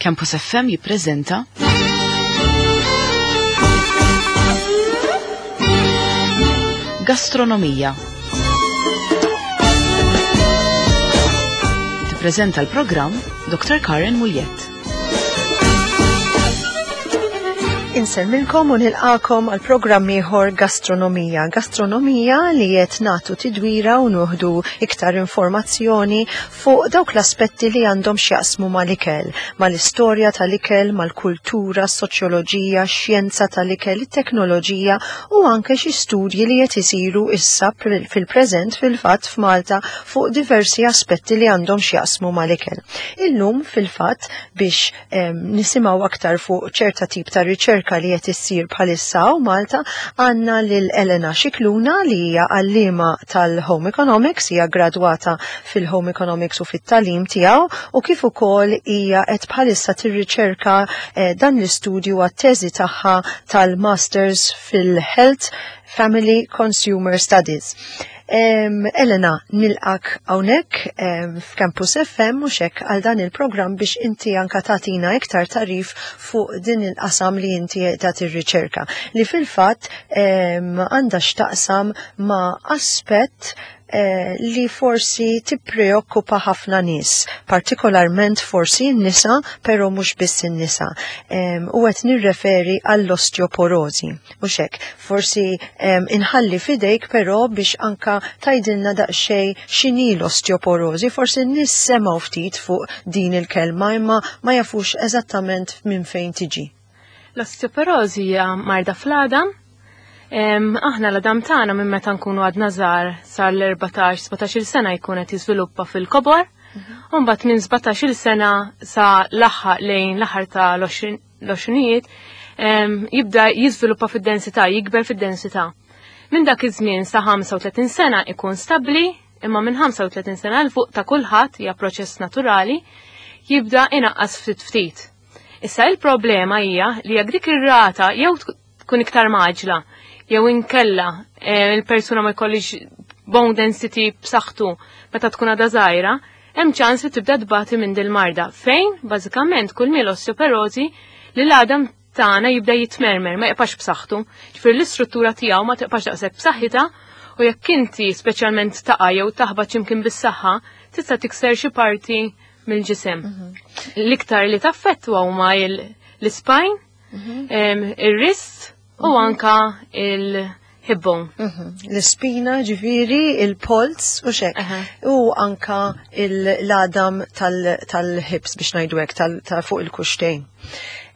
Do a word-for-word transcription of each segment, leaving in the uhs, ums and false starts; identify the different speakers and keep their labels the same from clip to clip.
Speaker 1: Campus F M jippreżenta Gastronomija. Tippreżenta l-programm Doctor Karen Mugliett.
Speaker 2: Insellmilkom u nilqakom għal programm ieħor Gastronomija. Gastronomija li qed nagħtu tidwira u nuħdu iktar informazzjoni fuq dawk l-aspetti li għandhom x'jaqsmu mal-ikel, mal-istorja tal-ikel, mal-kultura, s-soċjoloġija, x-xjenza tal-ikel, it-teknoloġija u anke xi studji li qed isiru issa fil-preżent fil-fatt f'Malta fuq diversi aspetti li għandhom x'jaqsmu mal-ikel. Illum fil-fatt biex nisimgħu aktar fuq ċerta tip ta' riċerka li qed issir bħalissa u Malta għandna lil Elena Scicluna li hija għalliema tal-Home Economics, hija gradwata fil-Home Economics u fit-talim tiegħu u kif ukoll hija qed bħalissa tirriċerka eh, dan l-istudju għat-teżi tagħha tal-Masters fil-Health Family Consumer Studies. Um, Elena, nilqak hawnhekk um, f'Campus F M u xek għal dan il-programm biex inti anka tagħtina iktar tarif fuq din il-qasam li inti qiegħda tirriċerka li fil-fatt um, għandha x'taqsam ma' aspett eh, li forsi tippreokkupa ħafna nies, partikolarment forsi n-nisa, però mhux biss in-nisa. Um, u qed nirreferi għall-osteoporożi. Mhux hekk, forsi um, inħalli fidejk però biex anka tajdilna daqsxejn x'inhi l-osteoporożi, forsi n-nies semgħu ftit fuq din il-kelma imma ma jafux eżattament minn fejn tiġi.
Speaker 3: L-osteoporożi hija marda fl-għadam. Em, aħna l-għadam tagħna minn meta nkunu għadna żgħar sal-erbatax, sbatax-il sena jkun qed jiżviluppa fil-kobor.
Speaker 2: Mhm.
Speaker 3: U mbagħad minn sbatax-il sena sa l-aħħar lejn l-aħħar ta' l-għoxrinijiet, em, jibda jiżviluppa fid-densità, jikber fid-densità. Minn dak iż-żmien sa ħamsa u tletin sena ikun stabbli, imma minn ħamsa u tletin sena l fuq ta' kulħadd hija proċess naturali, jibda inaqqas ftit ftit. Issa il-problema hija li jekk dik ir-rata jew tkun iktar maġla, jew inkella, eh, il-persuna ma jkollix bone density b'saħħtu meta tkun għadha żgħira, hemm ċans li tibda tbati minn dil-marda fejn bażikament kull miel osteoporożi li l-għadam tagħna jibda jitmermer, ma jibqax b'saħħtu. Ġifieri l-istruttura tiegħu ma tibqax daqshekk b'saħħitha u jekk inti speċjalment taqa' jew taħbat x'imkien bis-saħħa, tista' tikser xi parti mill-ġisem.
Speaker 2: Mhm.
Speaker 3: L-iktar li taffettwa huma il-, l-spine,
Speaker 2: Mhm.
Speaker 3: em, ir-wrist u
Speaker 2: Mhm.
Speaker 3: anka il-hip-bone.
Speaker 2: Mhm. L-ispina, ġifieri, il-polz u xek.
Speaker 3: Aha.
Speaker 2: U anka l-għadam tal-, tal-hips biex ngħidu hekk, tal-, ta' fuq il-kuxtejn.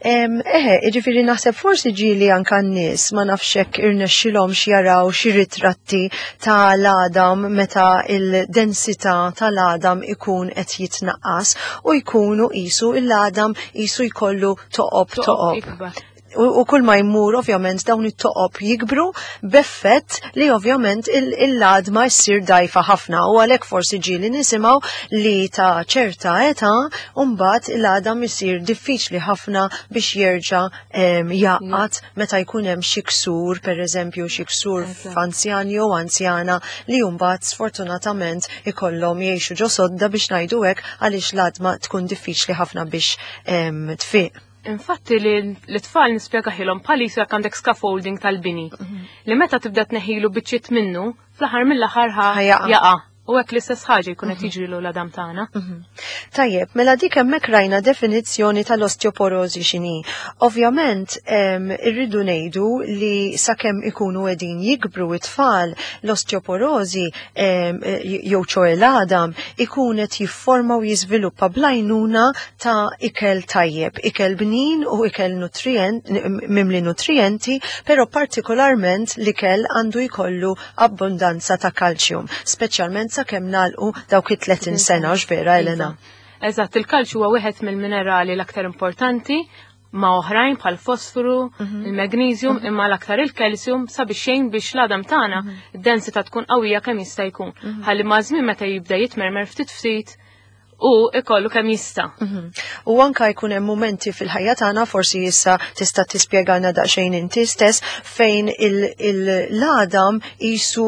Speaker 2: Em, eħe, ġifieri naħseb forsi ġieli anka n-nies ma nafx hekk irnexxilhomx jaraw xi ritratti tal-għadam meta il-densità tal-għadam ikun qed jitnaqqas u jkunu qisu l-għadam qisu jkollu toqob
Speaker 3: Toqob
Speaker 2: toqob.
Speaker 3: ikbar.
Speaker 2: U, u kull ma jmur ovvjament dawn it-toqob jikbru b'effett li ovvjament il-, il-għadma jsir dajfa ħafna u għalhekk forsi ġieli nisimgħu li ta' ċerta età mbagħad il-għadam isir diffiċli ħafna biex jerġa', em, jaqgħad meta jkun hemm xi ksur, pereżempju xi ksur
Speaker 3: Eżatt.
Speaker 2: f'anzjan jew anzjana li mbagħad sfortunatament ikollhom jgħixu ġo sodda biex ngħidu hekk għaliex l-għadma tkun diffiċli ħafna biex, em, tfiq.
Speaker 3: Infatti li l-tfal nispjegaħilhom bħal jekk għandek scaffolding tal-bini.
Speaker 2: Mhm.
Speaker 3: Li meta tibda tneħħilu biċċiet minnu, fl-aħħar mill-aħħar ħa
Speaker 2: Ħajaqa'.
Speaker 3: jaqa'. U hekk l-istess ħaġa jkun qed
Speaker 2: Mhm.
Speaker 3: jiġrilu l-għadam tagħna.
Speaker 2: Mhm. Tajjeb, mela dik hemmhekk rajna definizzjoni tal-osteoporożi x'inhi. Ovvjament, em, irridu ngħidu li sakemm ikunu qegħdin jikbru it-tfal, l-osteoporożi, em, jew ċoe l-għadam ikun qed jifforma u jiżviluppa bl-għajnuna ta' ikel tajjeb, ikel bnin u ikel nutrient, mimli nutrienti, però partikolarment l-ikel għandu jkollu abbondanza ta' kalċjum, speċjalment sakemm nagħlqu dawk it-tletin sena, hux vera, Elena?
Speaker 3: Eżatt, il-kalċju huwa wieħed mill-minerali l-aktar importanti ma' oħrajn bħal fosforu,
Speaker 2: Mhm.
Speaker 3: il-magnesium,
Speaker 2: Mhm.
Speaker 3: imma l-aktar il-kalċjum sabiex xejn biex l-għadam tagħna
Speaker 2: Mhm.
Speaker 3: id-densità tkun qawwija kemm jista' jkun.
Speaker 2: Mhm.
Speaker 3: Ħalli ma' żmien meta jibda jitmermer ftit ftit u ikollu kemm jista'.
Speaker 2: Mhm. U anka jkun hemm momenti fil-ħajja tagħna, forsi issa tista' tispjegana daqsxejn inti stess, fejn l-għadam isu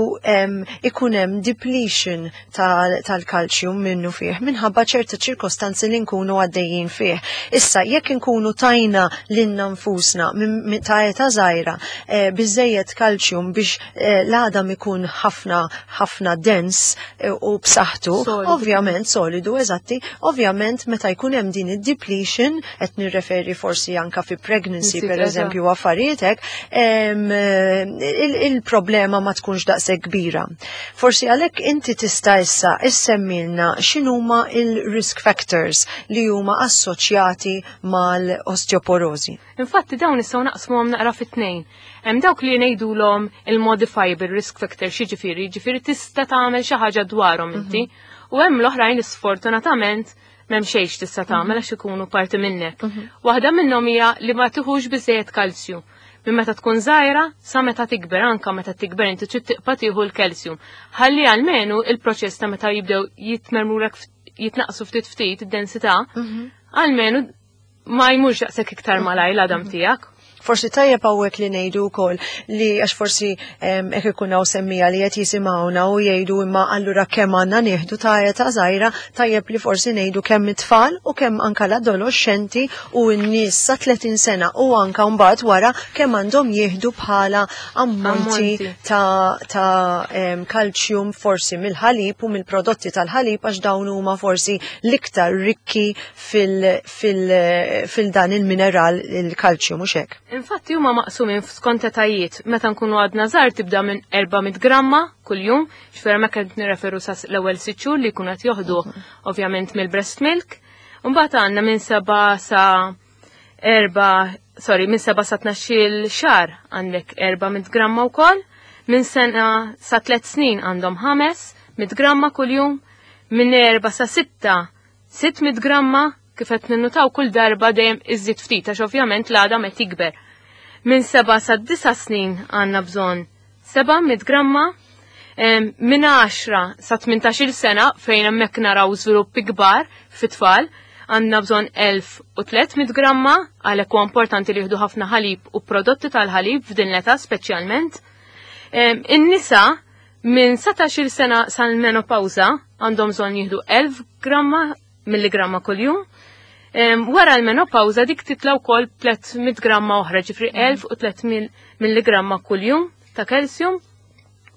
Speaker 2: ikun hemm depletion tal-kalċjum minnu fih minħabba ċerta ċirkostanzi li nkunu għaddejjin fih. Issa jekk inkunu tajna lilna nfusna minn ta' età żgħira eh, biżejjed kalċjum biex eh, l-għadam ikun ħafna ħafna dens eh, u b'saħħtu, ovvjament solidu, eżatt, ovvjament meta jkun hemm din id-depletion, qed nirreferi forsi anka fi pregnancy per eżempju affarijiet hekk, il-problema ma tkunx daqshekk kbira. Forsi għalhekk inti tista' issa issemmilna x'inhuma il-risk factors li huma assoċjati mal-osteoporosi.
Speaker 3: Infatti dawn nistgħu naqsmuhom naqra fit-tnejn. Hemm dawk li ngħidulhom il-modifiable risk factor, xiġifieri, ġifieri tista' tagħmel xi ħaġa dwarhom inti. Mhm. U hemm l-oħrajn li sfortunatament m'hemm xejn tista' tagħmel għax ikunu parti minnek. Mhm. Waħda minnhom hija li ma tieħux biżejjed kalzju. Minn meta tkun żgħira sa meta tikber, anka meta tikber inti trid tibqa' tieħu l-kalzju. Ħalli almenu il-proċess ta' meta jibdew jitmermurek jitnaqsu ftit ftit id-densità, mhm. almenu ma jmurx daqshekk iktar malaj l-għadam mhm. tiegħek.
Speaker 2: Forsi tajjeb hawnhekk li ngħidu wkoll li għax forsi hekk ikun hawn semmija li qed jisimgħuna u jgħidu, imma allura kemm għandna nieħdu ta' età żgħira, tajjeb li forsi ngħidu kemm it-tfal u kemm anka l-adolescenti u n-nies sa tletin sena u anka mbagħad wara kemm għandhom jieħdu bħala ammonti ta' ta' kalċjum forsi mill-ħalib u mill-prodotti tal-ħalib, għax dawn huma forsi l-iktar rikki fil-dan il-mineral il-kalċjum, mhux hekk?
Speaker 3: Infatti huma maqsumin skont etajiet. Meta nkunu għadna żgħar tibda minn erba' mitt gramma kuljum, ġifieri ma qed nirreferu sa l-ewwel sitt xhur li jkunu qed joħdu ovvjament mill-breast milk. Mbagħad għandna minn seba' sa erba', sorry, minn seba' sa tnax-il xahar għandek erba' mitt gramma wkoll, minn sena sa tliet snin għandhom ħames mitt gramma kuljum, minn erba' sa sitta sitt mitt gramma, kif qed ninnutaw kull darba dejjem iżid ftit għax ovvjament l-għadam qed jikber. Minn seba' sa disa' snin għandna bżonn seba' mitt gramma, minn għaxra sa tmintax-il sena, fejn hemmhekk naraw żviluppi kbar fit-tfal, għandna bżonn elf u tliet mitt gramma, għalhekk huwa importanti li jieħdu ħafna ħalib u prodotti tal-ħalib f'din l-età speċjalment. In-nisa minn satax-il sena sal-menopawza għandhom bżonn jieħdu elf gramma milligramma kuljum. Wara l-menopawza dik titla wkoll tliet mitt gramma oħra, ġifieri elf u tliet mitt milligramma kuljum ta' kalsjum.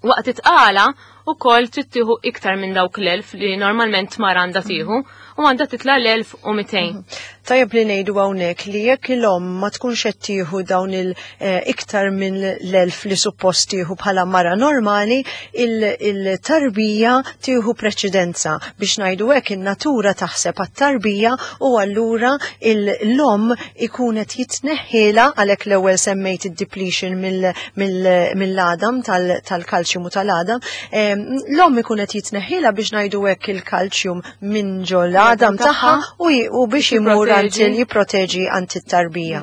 Speaker 3: Waqt it-tqala ukoll trid tieħu iktar minn dawk l-elf li normalment mara għandha tieħu u għandha titla l-elf u mitejn.
Speaker 2: Tajjeb li ngħidu hawnhekk li jekk l-omm ma tkunx qed tieħu dawn il-iktar minn l-elf li suppost tieħu bħala mara normali, il-tarbija tieħu preċedenza, biex ngħidu hekk, in-natura taħseb għat-tarbija u allura l-omm ikun qed jitneħħiela, għalhekk l-ewwel semmejt id-depletion mill-għadam tal-kalċjum u tal-għadam, l-omm ikun qed jitneħħiela, biex ngħidu hekk, il-kalċjum minn ġol għadam tagħha u biex imur jipproteġi għand it-tarbija.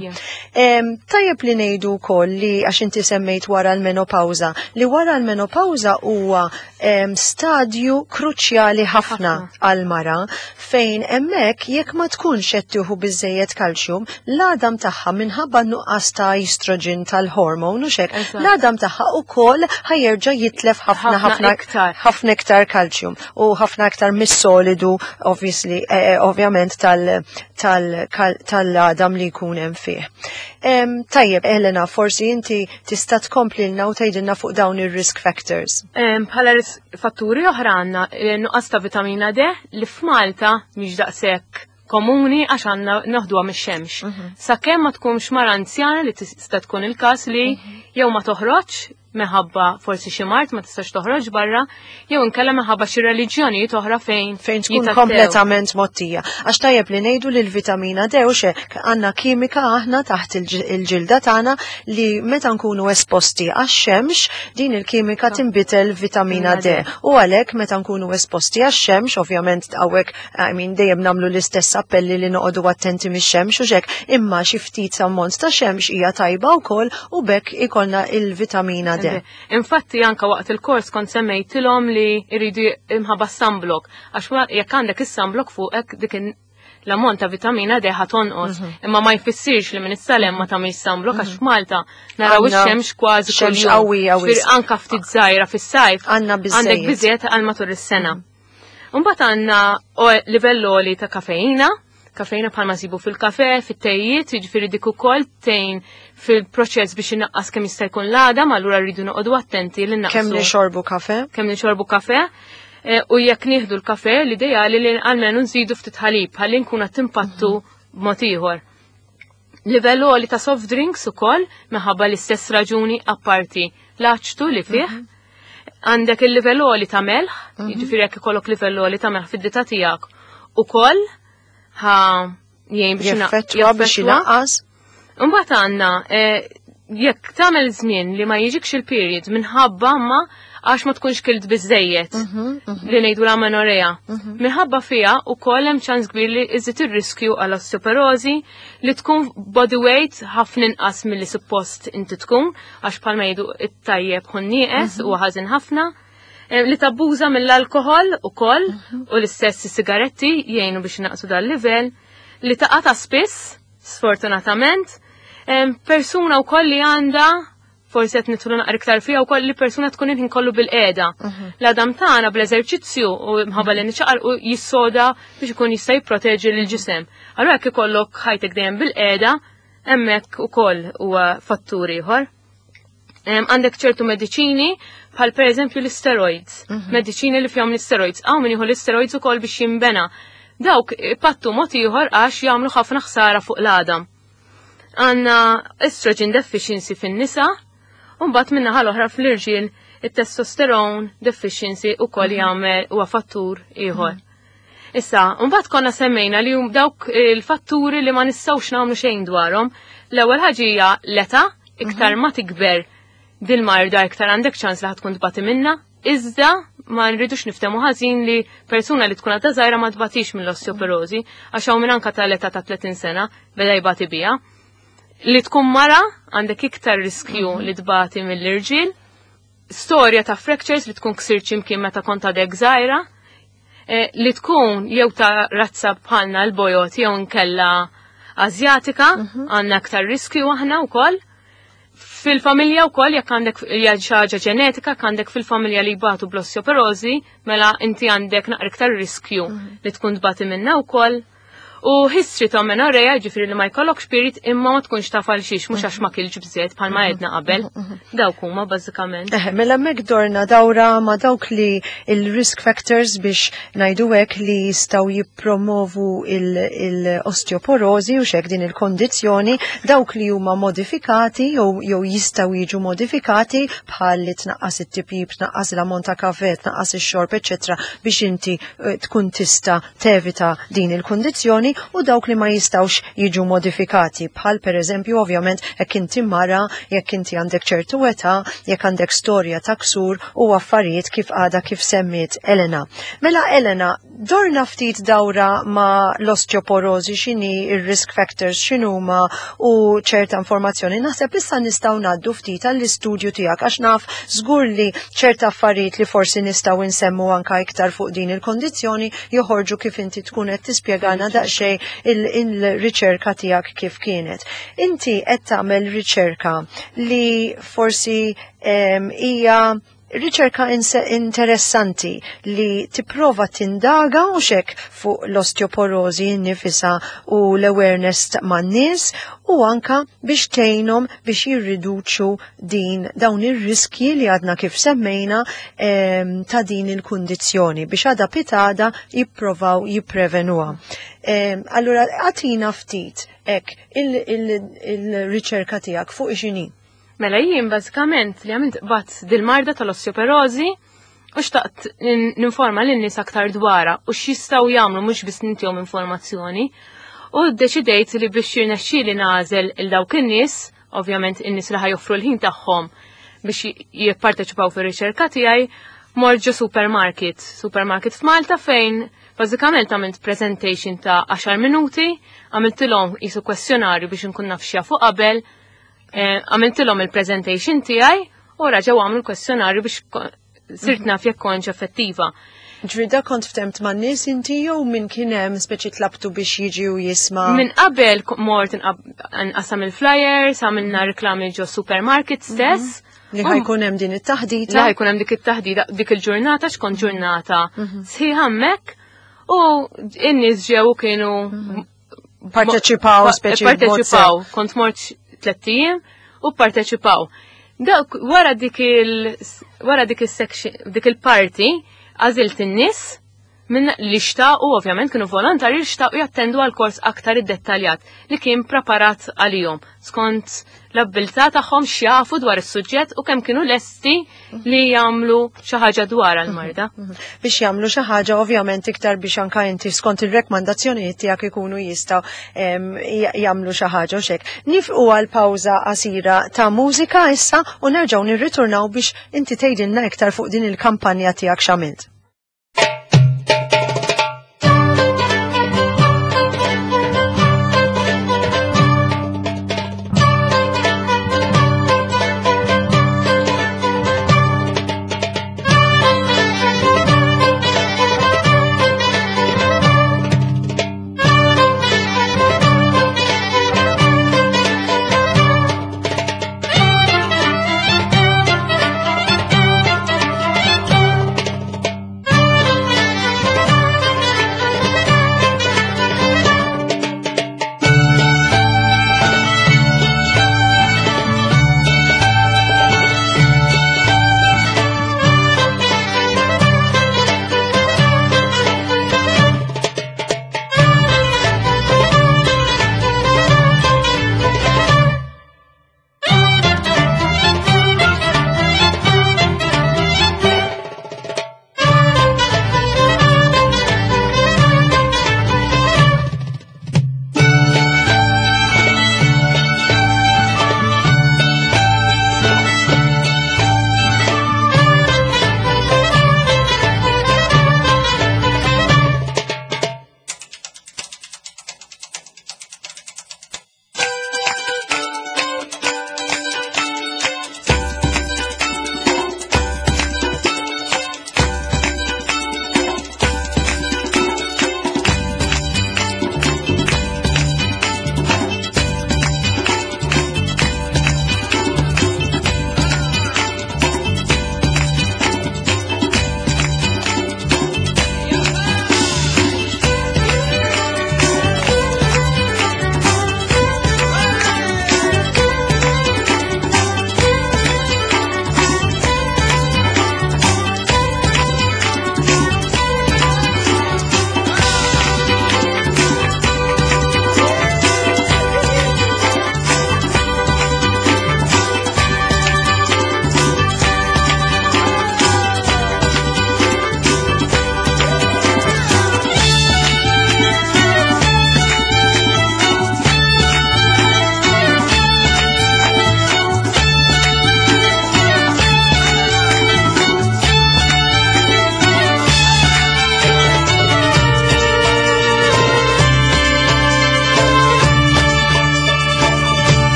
Speaker 2: Tajjeb li ngħidu wkoll li għax inti semmejt wara l-menopawza, li wara l-menopawza huwa stadju kruċjali ħafna għal-mara fejn hemmhekk jekk ma tkunx qed tieħu biżejjed kalċjum, l-għadam tagħha minħabba nuqqas ta' estrogen tal-hormone u hekk, l-għadam tagħha ukoll ħa jerġa' jitlef ħafna ħafna ħafna iktar kalċjum u ħafna iktar mis-solidu obviously, eh, eh, ovvjament tal-għadam li jkun hemm fih. Tajjeb, Elena, forsi inti tista' tkomplilna u tgħidilna fuq dawn ir-risk factors.
Speaker 3: Bħala risk fatturi oħra għandna eh, nuqqas ta' vitamina D li f'Malta mhix daqshekk komuni għax għandna noħduha mix-xemx. Mhm. Sakemm ma tkunx mara anzjana, li tista' tkun il-każ li mhm. jew ma toħroġ minħabba forsi xi mard ma tistax toħroġ barra, jew inkella minħabba xi reliġjonijiet oħra fejn
Speaker 2: fejn tkun kompletament mottija. Għax tajjeb li ngħidu li l-vitamina D u xek għandna kimika aħna taħt il-ġilda tagħna li meta nkunu esposti għax-xemx din il-kimika tinbidel vitamina D. U għalhekk meta nkunu esposti għax-xemx, ovvjament hawnhekk, I mean, dejjem nagħmlu l-istess appelli li noqogħdu attenti mix-xemx u xek, imma xi ftit ammont ta' xemx hija tajba wkoll u b'hekk ikollna il-vitamina D. D.
Speaker 3: Infatti anka waqt il-kors kont semmejtilhom li jridu imħabba sunblock, għax jekk għandek is-sunblock fuqek, dik l-ammont ta' vitamina D ħa tonqos.
Speaker 2: Mhm.
Speaker 3: Imma ma jfissirx li minn issa 'l hemm ma tagħmilx sunblock, għax f'Malta naraw
Speaker 2: Għandna
Speaker 3: ix-xemx kważi
Speaker 2: xemx
Speaker 3: kuljum.
Speaker 2: qawwija wisq.
Speaker 3: Ġifieri anka ftit żgħira fis-sajf
Speaker 2: Għandna biżżejjed.
Speaker 3: għandek biżejjed għal matul is-sena. Mbagħad għandna livell għoli ta' kafeina, kafeina bħalma nsibu fil-kafe, fit-tejiet, jiġifieri dik ukoll tgħin fil-proċess biex inaqqas kemm jista' jkun l-għadam, allura rridu noqogħdu attenti li naqsu.
Speaker 2: Kemm nixorbu kafe?
Speaker 3: Kemm nixorbu kafe. E, u jekk nieħdu l-kafe, l-ideali li almenu nżidu ftit ħalib, ħalli nkun qed timpattu b'mod ieħor. Livell għoli ta' soft drinks ukoll minħabba l-istess raġuni, apparti l-aċtu li fih. Għandek il-livell għoli ta' melħ, jiġifieri jekk ikollok livell għoli ta' melħ fid-dieta tiegħek ukoll ħa jgħin biex
Speaker 2: Jeffettwa biex
Speaker 3: jaffettwa.
Speaker 2: inaqqas.
Speaker 3: Imbagħad għandna eh, jekk tagħmel żmien li ma jiġikx il-period minħabba ma għax ma tkunx kilt biżejjed, li ngħidu l-amenorea. Minħabba fiha ukoll hemm ċans kbir li iżid ir-riskju għal osteoporosi, li tkun body weight ħafna inqas milli suppost inti tkun, għax bħalma jgħidu, it-tajjeb hu nieqes u ħażin ħafna. Eh, Li tabbuża mill-alkohol ukoll u l-istess sigaretti jgħinu biex naqsu dal-livell. Li taqa' ta' spiss, sfortunatament, Em, persuna wkoll li għandha, forsi qed nidħlu naqra iktar fiha wkoll, li persuna tkun il-ħin kollu bil-qiegħda. L-għadam tagħna bl-eżerċizzju u mħabba li niċaqalqu jissoda biex ikun jista' jipproteġi lill-ġisem. Allura jekk ikollok ħajtek dejjem bil-qiegħda, hemmhekk ukoll huwa fattur ieħor. Em, Għandek ċertu mediċini bħal per eżempju l-steroids. Mediċini li fihom l-steroids. Hawn min jieħu l-steroids ukoll biex jinbena. Dawk pattu mod ieħor għax jagħmlu ħafna ħsara fuq l-għadam. Għandna estrogen deficiency fin-nisa, u mbagħad min-naħa l-oħra fl-irġiel it-testosterone deficiency ukoll jagħmel huwa fattur ieħor. Issa, mbagħad konna semmejna li hum dawk il-fatturi li ma nistgħux nagħmlu xejn dwarhom. L-ewwel ħaġa hija l-età, iktar ma tikber dil-marda iktar għandek ċans li tkun tbati minna, iżda ma nridux niftemu ħażin li persuna li tkun għadha żgħira ma tbatix mill-osteoporosi, għax hawn minn anka tal-età ta' tletin sena beda jbati biha. Li tkun mara, għandek iktar riskju li tbati mill-irġiel. Storja ta' fractures, li tkun ksirt x'imkien meta kont għadek żgħira. Eh, li tkun jew ta' razza bħalna l-bojod jew nkella Azjatika, għandna aktar riskju aħna wkoll. Fil-familja wkoll, jekk għandek hija xi ħaġa ġenetika, jekk għandek fil-familja li jbatu bl-osteoporosi, mela inti għandek naqra iktar riskju li tkun tbati minna wkoll. U history ta' amenorrea, ġifieri li ma jkollokx period imma ma tkunx taf għal xiex, mhux għax ma kilx biżejjed bħalma għedna qabel. Dawk huma bażikament.
Speaker 2: Eh, mela hemmhekk dorna dawra ma dawk li il-risk factors, biex ngħidu hekk, li jistgħu jippromovu il-osteoporosi u xek din il-kondizzjoni, dawk li huma modifikati jew jew jistgħu jiġu modifikati, bħal li tnaqqas it-tipjip, tnaqqas l-ammont ta' kafe, tnaqqas ix-xorb, eċetera, biex inti eh, tkun tista' tevita din il-kondizzjoni, u dawk li ma jistgħux jiġu modifikati, bħal per eżempju ovvjament jekk inti mara, jekk inti għandek ċertu età, jekk għandek storja ta' ksur u affarijiet kif għada kif semmiet Elena. Mela Elena, dorna ftit dawra ma l-osteoporosi, x'inhi il-risk factors, x'inhuma u ċerta informazzjoni. Naħseb issa nistgħu ngħaddu ftit għall-istudju tiegħek, għax naf żgur li ċerta affarijiet li forsi nistgħu nsemmu anka iktar fuq din il-kondizzjoni joħorġu kif inti tkun qed tispjegana daqsxejn il-riċerka tiegħek kif kienet. Inti qed tagħmel riċerka li forsi em, hija riċerka interessanti li tipprova tindaga u xek fuq l-osteoporosi nifisa u l-awareness man-nies u anka biex tgħinhom biex jirriduċu din dawn ir-riskji li għadna kif semmejna em, ta' din il-kundizzjoni biex għada pitgħada jipprovaw jipprevenuha. Em, allura għatina ftit ek il-riċerka tiegħek fuq x'inhi.
Speaker 3: Mela jien bażikament li għamilt bat dil-marda tal-osteoporosi u xtaqt ninforma lin-nies aktar dwarha u x'jistgħu jagħmlu, mhux biss nintihom informazzjoni. U ddeċidejt li biex jirnexxieli nagħżel il dawk in-nies, ovvjament in-nies li ħa joffru l-ħin tagħhom biex jipparteċipaw fir-riċerka tiegħi, mort ġo supermarket, supermarket f'Malta, fejn bażikament għamilt presentation ta' għaxar minuti, għamiltilhom qisu kwestjonarju biex nkun naf x'jafu qabel, eh, għamiltilhom il-presentation tiegħi. u raġgħu għamlu l-kwestjonarju biex sirt mhm. naf jekk kontx effettiva.
Speaker 2: Ġrida kont ftemt man nies inti jew minn kien hemm speċi tlabtu biex jiġi u jisma'?
Speaker 3: Minn qabel mort nqassam il-flyers, għamilna reklami ġo supermarket mhm. stess.
Speaker 2: Li ħajkun hemm din it-taħdita.
Speaker 3: Li ħajkun hemm dik it-taħdita dik il-ġurnata x'kont ġurnata mhm. sħiħa hemmhekk u n-nies ġew kienu
Speaker 2: mhm. parteċipaw speċi
Speaker 3: parteċipaw, kont mort tliet ijiem u parteċipaw. Dak wara dik il wara dik il-section dik il-parti għażilt in-nies minn li xtaqu ovvjament kienu volontari li xtaqu jattendu għal kors aktar iddettaljat li kien preparat għalihom skont l-abbiltà tagħhom x'jafu dwar is-suġġett u kemm kienu lesti li jagħmlu xi ħaġa dwar għall-marda.
Speaker 2: Mhm, mhm. Biex jagħmlu xi ħaġa ovvjament iktar biex anka inti skont ir-rekmandazzjonijiet tiegħek ikunu jistgħu jagħmlu xi ħaġa u xek. Nifqu għal pawża qasira ta' mużika issa u nerġgħu nirriturnaw biex inti tgħidilna iktar fuq din il-kampanja tiegħek x'għamilt.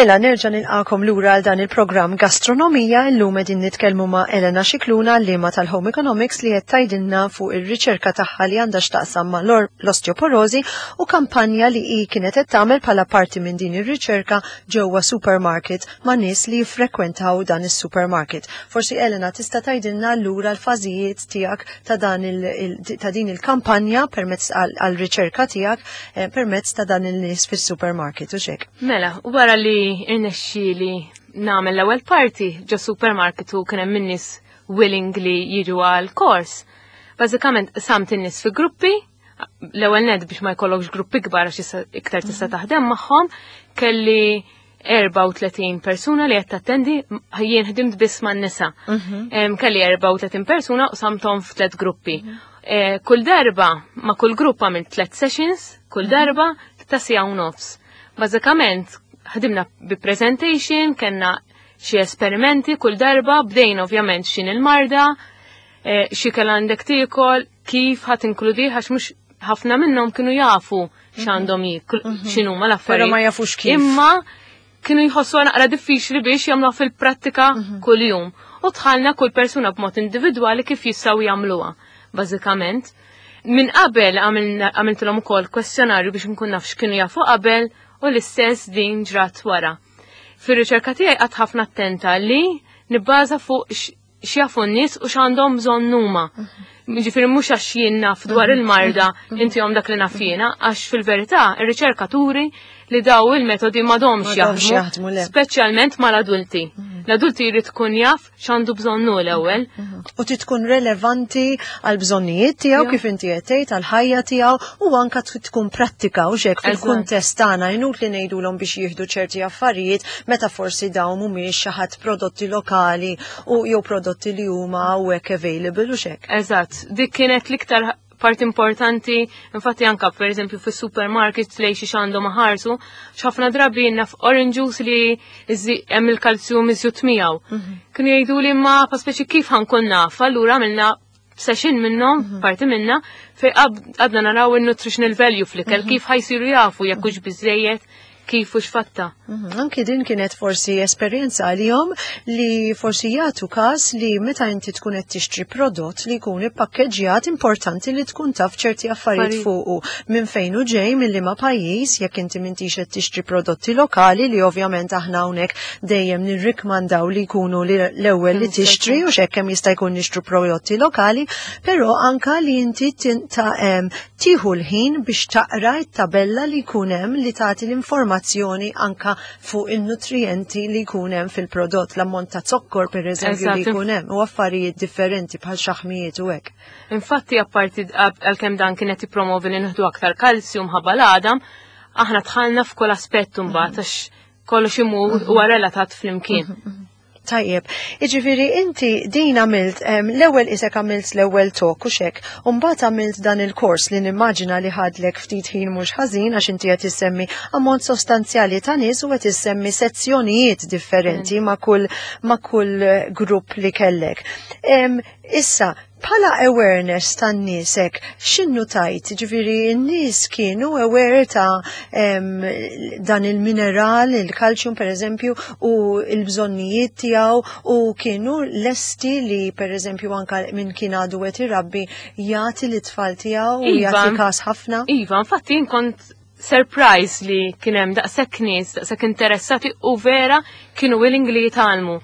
Speaker 2: Mela nerġa' nilqakom lura għal dan il-programm Gastronomija. Illum qegħdin nitkellmu ma' Elena Scicluna, għalliema tal-Home Economics, li qed tgħidilna fuq ir-riċerka tagħha li għandha x'taqsam ma' l-osteoporosi u kampanja li hi kienet qed tagħmel bħala parti minn din ir-riċerka ġewwa supermarket ma' nies li jiffrekwentaw dan is-supermarket. Forsi, Elena, tista' tgħidilna lura l-fażijiet tiegħek ta' dan il, ta' din il-kampanja permezz għal-riċerka tiegħek eh, permezz ta' dan il-nies fis-supermarket u xek.
Speaker 3: Mela, wara li irnexxieli nagħmel l-ewwel parti ġo supermarket u kien hemm in-nies willing li jiġu għal kors. Bażikament qsamt in-nies fi gruppi, l-ewwel nett biex ma jkollokx gruppi kbar għax iktar tista' taħdem magħhom, kelli erbgħa u tletin persuna li qed tattendi, jien ħdimt biss man-nisa. Mhm. Kelli erbgħa u tletin persuna u qsamthom f'tliet gruppi. Mhm. Eh, kull darba ma' kull grupp għamilt tliet sessions, kull mhm. darba ta' siegħa u nofs. Bażikament ħdimna bi presentation, kellna xi esperimenti kull darba, bdejna ovvjament x'inhi il-marda, eh, x'ikel għandek tiekol, kif ħa tinkludi, għax mhux ħafna minnhom kienu jafu x'għandhom jieklu, mhm. x'inhuma l-affarijiet.
Speaker 2: Però ma jafux kif.
Speaker 3: Imma kienu jħossu naqra diffiċli biex jagħmluha fil-prattika mhm. kuljum. U dħalna kull persuna b'mod individwali kif jistgħu jagħmluha, bażikament. Minn qabel għamiltilhom ukoll kwestjonarju biex nkun naf x'kienu jafu qabel u l-istess din ġrat wara. Fir-riċerka tiegħi qgħadt ħafna attenta li nibbaża fuq x'jafu n-nies u x'għandhom bżonn huma. Ġifieri mhux għax jien naf dwar il-marda intihom dak li naf jiena, għax fil-verità ir-riċerka turi li daw il-metodi m'għadhomx jaħdmu, speċjalment mal-adulti. L-adulti jrid tkun jaf x'għandu bżonnu l-ewwel.
Speaker 2: U tkun relevanti għal bżonnijiet tiegħu, kif inti qed tgħid, għal ħajja tiegħu, u anka tkun prattika u xek fil-kuntest tagħna. Inutli ngħidulhom biex jieħdu ċerti affarijiet meta forsi dawn mhumiex xi ħadd prodotti lokali u jew prodotti li huma hawnhekk available u xek.
Speaker 3: Eżatt, dik kienet l-iktar part importanti, infatti anka per eżempju fis supermarket lej xi għandhom ħarsu, x'ħafna drabi naf orange juice li hemm il-kalzju miżjud miegħu. Mhm. Kienu jgħidu li ma pa speċi kif ħa nkun naf, allura għamilna session minnhom, mhm. parti minna, fej għadna naraw il-nutritional value fl-ikel, mhm. kif ħa jsiru jafu jekk hux biżejjed, kif u x'fatta.
Speaker 2: Mhm, anki din kienet forsi esperjenza għalihom li forsi jagħtu każ li meta inti tkun qed tixtri prodott li jkun ippakkeġġjat, importanti li tkun taf ċerti affarijiet fuqu, minn fejn hu ġej, minn liema pajjiż, jekk inti m'intix qed tixtri prodotti lokali, li ovvjament aħna hawnhekk dejjem nirrikmandaw li jkunu l-ewwel li tixtri u x'hekk kemm jista' jkun nixtru prodotti lokali, però anka li inti tieħu l-ħin biex taqra t-tabella li jkun hemm li tagħti l-informazzjoni anka fuq il-nutrienti li jkun hemm fil-prodott, l-ammont ta' zokkor per eżempju li jkun hemm u affarijiet differenti bħal xaħmijiet u hekk.
Speaker 3: Infatti, apparti għalkemm dan kienet jippromovi li nieħdu aktar kalzju mħabba l-għadam, aħna dħalna f'kull aspett mbagħad għax kollox imur huwa relatat flimkien.
Speaker 2: Mhm, mhm. Tajjeb, iġifiri inti din għamilt, l-ewwel isek għamilt l-ewwel talk u xek, mbagħad għamilt dan il-kors li nimmaġina li ħadlek ftit ħin mhux ħażin, għax inti qed issemmi ammont sostanzjali ta' nies u qed issemmi sezzjonijiet differenti ma' kull ma' kull grupp li kellek. Issa, bħala awareness tan-nies, x'inhu tajt? Ġifiri, n-nies kienu aware ta' em, dan il-mineral, il-kalċium per eżempju, u il-bżonnijiet tiegħu, u kienu lesti li per eżempju anka minn kien għadu qed irabbi jagħti l-tfal tiegħu u
Speaker 3: Iva.
Speaker 2: jagħti każ ħafna?
Speaker 3: Iva, infatti jien kont surprise li kien hemm daqshekk nies, daqshekk interessati u vera kienu willing li jitgħallmu.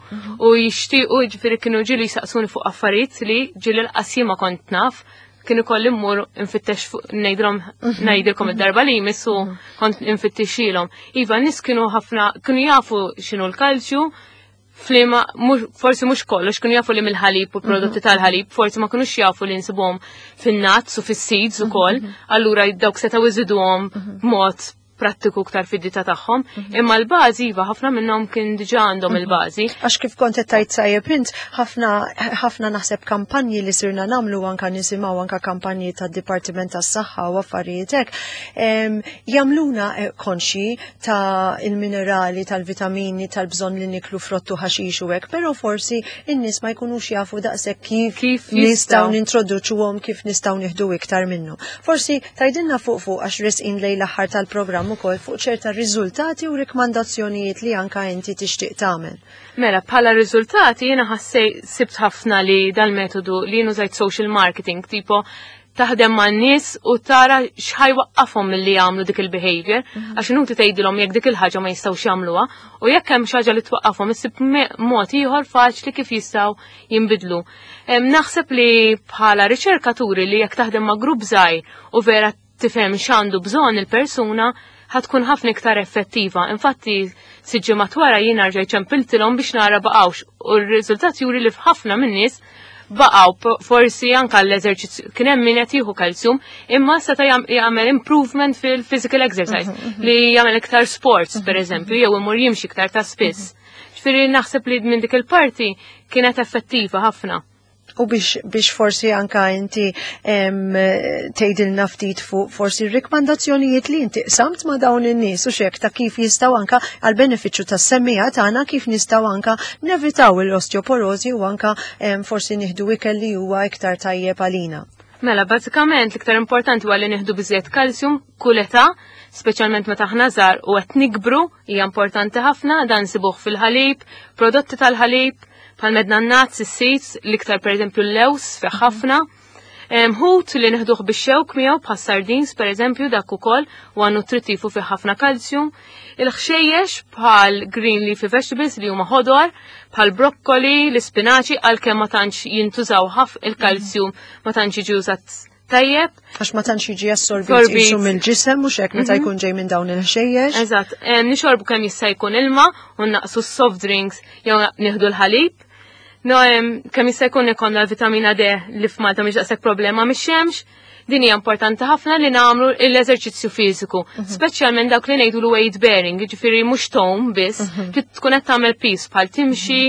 Speaker 3: U jixtiequ, ġifieri kienu ġieli jisaqsuni fuq affarijiet li ġieli lanqas ma kont naf, kienu kolli mmur infittex fuq, ngħidilhom ngħidilkom id-darba li jmiss u kont infittixilhom. Iva, nies kienu ħafna kienu jafu x'inhu l-kalċju, flima, mux, forsi mhux kollox, kienu jafu li mill-ħalib u prodotti tal-ħalib, forsi ma kinux jafu li nsibuhom fin-nuts u fis-seeds ukoll, allura dawk setgħu iżiduhom b'mod prattiku ktar fid-dieta tagħhom. Imma l-bażi, iva, ħafna minnhom kien diġà għandhom il-bażi.
Speaker 2: Għax kif kont qed tgħid tajjeb int, ħafna ħafna naħseb kampanji li sirna nagħmlu, anka nisimgħu anka kampanji tad-Dipartiment tas-Saħħa u affarijiet hekk, em, jagħmluna eh, konxi ta' il-minerali, tal-vitamini, tal-bżonn li niklu frottu, ħaxix u hekk, però forsi in-nies ma jkunux jafu daqshekk kif
Speaker 3: Kif
Speaker 2: nistgħu
Speaker 3: jistgħu.
Speaker 2: nintroduċuhom, kif nistgħu nieħdu iktar minnu. Forsi tgħidilna fuq fuq għax resqin lejn l-aħħar tal-programm nitkellem ukoll fuq ċerta riżultati u rikmandazzjonijiet li anka inti tixtieq tagħmel.
Speaker 3: Mela, bħala riżultati jiena ħassej sibt ħafna li dal-metodu li jien użajt social marketing, tipo taħdem ma' nies u tara x'ħa jwaqqafhom milli jagħmlu dik il-behavior, għax inutli tgħidilhom jekk dik il-ħaġa ma jistgħux jagħmluha, u jekk hemm xi ħaġa li twaqqafhom issib mod ieħor faċli kif jistgħu jinbidlu. Naħseb li bħala riċerkaturi li jekk taħdem ma' grupp żgħir u vera tifhem x'għandu bżonn il-persuna, ħa tkun ħafna iktar effettiva. Infatti, sitt ġimgħat wara jiena rġajt ċempiltilhom biex nara baqgħux u r-riżultat juri li f'ħafna min-nies baqgħu, forsi anka l-eżerċizzju kien hemm min qed jieħu kalsjum, imma seta' jagħmel improvement fil-physical exercise, li jagħmel iktar sports, per eżempju, jew imur jimxi iktar ta' spiss. Ġifieri naħseb li minn dik il-parti kienet effettiva ħafna.
Speaker 2: U biex, biex forsi anka inti tgħidilna ftit fuq forsi r-rikmandazzjonijiet li inti qsamt ma' dawn in-nies u xek ta' kif jistgħu anka għal benefiċċju tas-semmiegħa tagħna kif nistgħu anka nevitaw l-osteoporosi u anka forsi nieħdu ikel li huwa iktar tajjeb għalina.
Speaker 3: Mela, bażikament l-iktar importanti huwa li nieħdu biżejjed kalsjum kull età, speċjalment meta aħna żgħar u qed nikbru, hija importanti ħafna, dan sibuh fil-ħalib, prodotti tal-ħalib, bħal medna nuts, is-seeds, l-iktar per eżempju l-lews fih ħafna. Ħut li neħduh bix-xewk miegħu bħas sardines per eżempju dak ukoll huwa nutrittiv u fih ħafna kalsjum. Il-ħxejjex bħal green leafy vegetables li huma ħodor, bħal brokkoli, l-ispinaċi, għalkemm ma tantx jintużaw ħaf il-kalsjum ma tantx jiġi użat tajjeb.
Speaker 2: Għax ma tantx jiġi assorbit qisu mill-ġisem mhux hekk meta jkun ġej minn dawn il-ħxejjex.
Speaker 3: Eżatt, nixorbu kemm jista' jkun ilma u naqsu s-soft drinks jew nieħdu l-ħalib. No, kemm jista' jkun ikollna l-vitamina D li f'Malta mhix daqshekk problema mix-xemx. Din hija importanti ħafna li nagħmlu l-eżerċizzju fiżiku, speċjalment dawk li ngħidu l weight bearing, jiġifieri mhux tom biss, trid tkun qed tagħmel piż bħal timxi,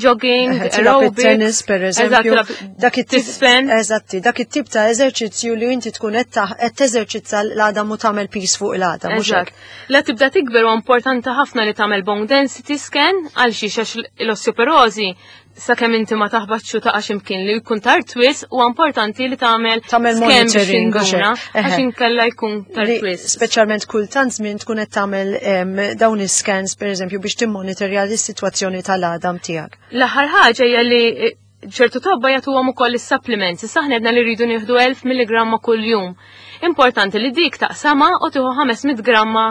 Speaker 3: jogging, aerobics,
Speaker 2: tennis per eżempju. Dak it-tip Eżatti, dak it-tip ta' eżerċizzju li inti tkun qed teżerċizza l-għadam u tagħmel piż fuq l-għadam, mhux hekk.
Speaker 3: La tibda tikber huwa importanti ħafna li tagħmel bone density scan għal xiex għax l-osteoporosi sakemm inti ma taħbatx u taqa' x'imkien li jkun tard wisq, huwa importanti li tagħmel
Speaker 2: tagħmel
Speaker 3: scan biex
Speaker 2: monitoring, u
Speaker 3: tinduna,
Speaker 2: xek. Eħe.
Speaker 3: Għax inkella jkun tard
Speaker 2: Li
Speaker 3: wisq.
Speaker 2: Speċjalment kultant żmien tkun qed tagħmel em, dawn is-scans pereżempju biex timmonitorja l-sitwazzjoni tal-għadam tiegħek.
Speaker 3: L-aħħar ħaġa hija li eh, ċertu tobba jagħtuhom ukoll is-supplements. Issa aħna għedna li rridu nieħdu elf milligramma kuljum. Importanti li dik taqsama u tieħu ħames mitt gramma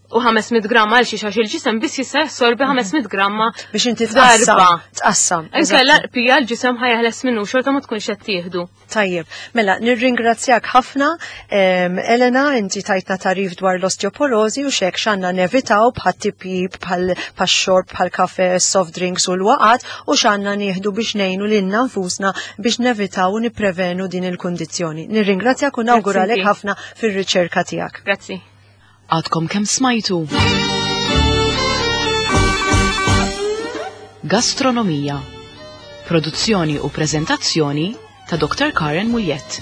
Speaker 3: u ħames mitt gramma għal xi għax il-ġisem biss jista' jassorbi ħames mitt gramma
Speaker 2: Biex inti
Speaker 3: darba.
Speaker 2: tqassam, tqassam.
Speaker 3: Inkella
Speaker 2: eżatti.
Speaker 3: pija l-ġisem ħa jeħles minnu xorta ma tkunx qed tieħdu.
Speaker 2: Tajjeb, mela, nirringrazzjak ħafna, em, Elena, inti tajtna tarif dwar l-osteoporosi u xek x'għandna nevitaw bħal tipjip, bħal xorb, bħal kafe, soft drinks u l-waqat u x'għandna nieħdu biex ngħinu lilna nfusna biex nevitaw u nipprevenu din il-kundizzjoni. Nirringrazzjak u nawguralek
Speaker 3: Grazzi.
Speaker 2: ħafna fir-riċerka tiegħek.
Speaker 3: Grazzi.
Speaker 1: Għadkom kemm smajtu. Gastronomija. Produzzjoni u prezentazzjoni ta' Doktor Karen Muljett.